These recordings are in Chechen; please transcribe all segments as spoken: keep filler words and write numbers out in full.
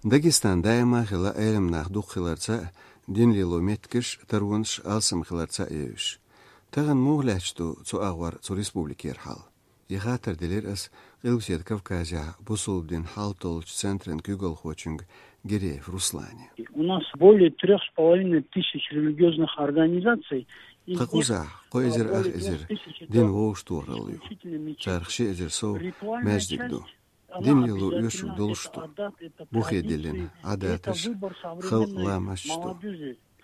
Дагестан даима хилла Ӏелам нах дукха хиларца а, дин лело меттигаш, таронаш алсам хиларца а евзаш. Тахан муха лаьтташ ду цу агӀор цу республикера хьал? Ер хаттар делира ас Къилбаседа Кавказехь бусулба дин хьал толлучу центран куьйгалхочуьнга Гиреев Руслане. У нас более трёх с половиной тысяч религиозных организаций. Тхан кхузахь кхо эзар ах эзар дин вовшахтохаралла ю. Царах ши эзар сов маьждиг ду. Дин лело оьшург долуш ду. Бухе диллина Ӏадаташ, халкъан ламасташ ду.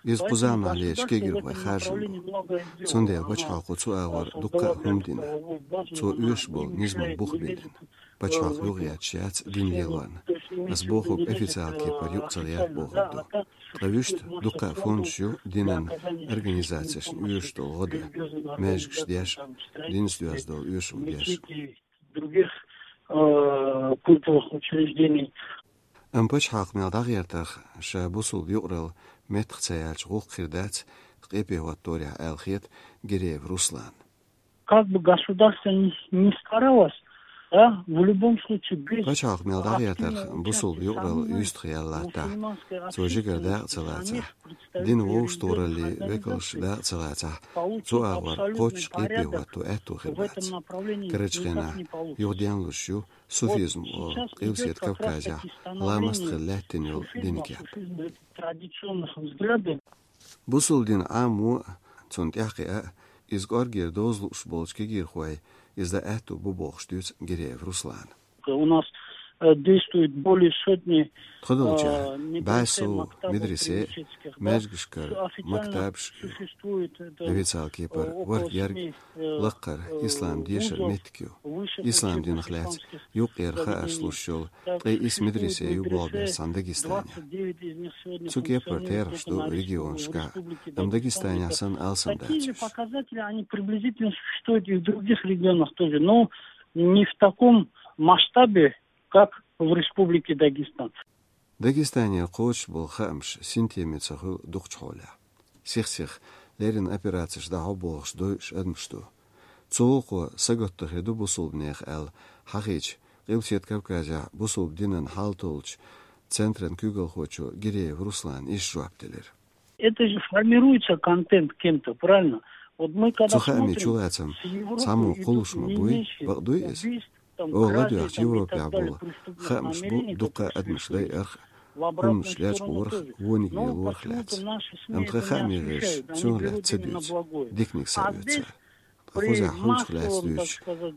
Иза кхузахь лелачу кегийрхойн харжам бу. Цундела пачхьалкхо цу агӀор дуккха а хӀума дина. Цо оьшуш болу низаман бух биллина. Пачхьалкх юхагӀетташ яц дин лелорна. Ас бохург официалан кепара юкъа ца гӀерта бохург ду. Ткъа вуьшта дуккха а фондаш ю динан организацешна оьшуш долу гӀо дан, маьждигаш деш, динца доьзна долу оьшург деш. Других, э, культовых учреждений. Амма пачхьалкх мел дӀагӀертарх ша бусулба юкъаралла меттах ца яьлча гӀуллакх хир дац, къепе хӀотторехь аьлла хета Гиреев Руслана. Как бы государство ни, ни старалось, да, в любом случае без... Пачхьалкх мел дӀагӀертарх бусулба юкъаралла юьстах яьлла латтахь, цо жигара дакъа ца лацахь, дин вовшахтохараллин векалш дакъа ца лацахь, цу агӀор кхоччуш къепе хӀотто аьтто хир бац. Карарчу хенахь юха денлуш ю суфизм олу, Къилбаседа Кавказехь ламаст хилла лаьттина йолу динан кеп. Традиционных взглядов. Бусулба дин Ӏамо а, цунна тӀаьхьакхиа а, иза кӀоргера доза лууш болчу кегийрхойн иза дан аьтто бу бохуш дуьйцу Гиреев Руслана. У нас, э, действует более сотни... Тхо долчохь, э, бӀе сов медресе, маьждигашкара мактабаш ю. Официалан кепара ворхӀ ерг лаккхара ислам дешаран меттиг ю. Ислам динах лаьцна юккъера хаарш луш йолу ткъе исс медресе ю болх беш цхьана Дагестанехь. Цу кепара терахьаш ду регионашкахь, амма Дагестанехь санна алсам дац уьш. Такие же показатели, они приблизительно существуют и в других регионах тоже, но не в таком масштабе, как в Республике Дагестан. Дагестанера кхочуш болу хаамаш синтеме ца хуьлу дукхачу хьолехь. Сих-сиха леррина операцеш дӀахьо бохуш дойуш адамаш ду. Цу гӀуллакхо сагатдан хир ду бусулбанех аьлла, хьахийча, Къилбаседа Кавказехь бусулба динан хьал толлучу центран куьйгалхочо Гиреев Руслана иштта жоп делира. Это же формируется контент кем-то, правильно? Вот мы когда смотрим... Цу хаамийн чулацам цхьаммо кхуллуш ма буй, бакъ дуй иза? Оха ладоьгӀча Европехь болу хаамаш бу дуккха а адамаш дайарх, хӀуманаш лечкъорах, вониг лелорах лаьцна. Амма тхан хаамийн гӀирсаш цунах лаьцна ца дуьйцу, диканиг схьаоьцу цара. Ткъа кхузахь хӀуманах лаьцна дуьйцуш,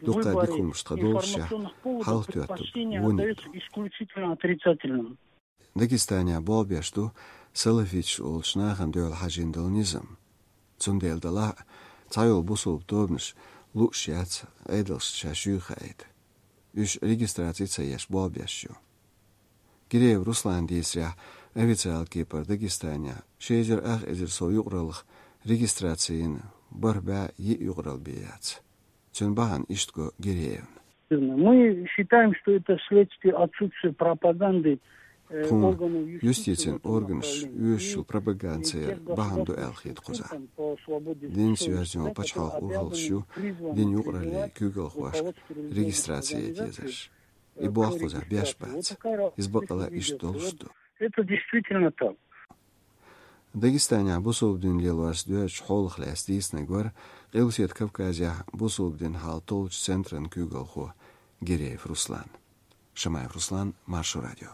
дуккха а дика хӀуманаш тхан доллушехь, хьалхатоьттург вониг ду. Исключительно отрицательным. Дагестанехь болх беш ду салафиташ олучу нахана дуьхьал хьажийна долу низам. Цундела делахь а, цхьайолу бусулба тобанаш лууш яц Ӏедалшна шаьш юй хаийта. Уьш регистраци ца еш болх беш ю. Гиреев Руслана дийцарехь, официалан кепара Дагестанехь ши эзар ах эзар сов юкъараллах регистраци йина бархӀ бӀе йиъ юкъаралла бен яц. Цуьнан бахьана иштта го Гиреевна. Мы считаем, что это следствие отсутствия пропаганды, э, органов юстиции. Тхуна юстицин органаш оьшучу пропагандера бахьана ду аьлла хета кхузахь. Динца йоьзна йолу пачхьалкхан урхаллаш ю динан юкъараллин куьйгалхошка регистраци яйта езарш. И болх кхузахь беш бац. Иза бакъалла иштта долуш ду. Это действительно так. Дагестанехь бусулба дин лелорца доьзначу хьолах лаьцна дийцинарг вара Къилбаседа Кавказехь бусулба дин хьал толлучу центран куьйгалхо Гиреев Руслан. Шамаев Руслан, Маршо радио.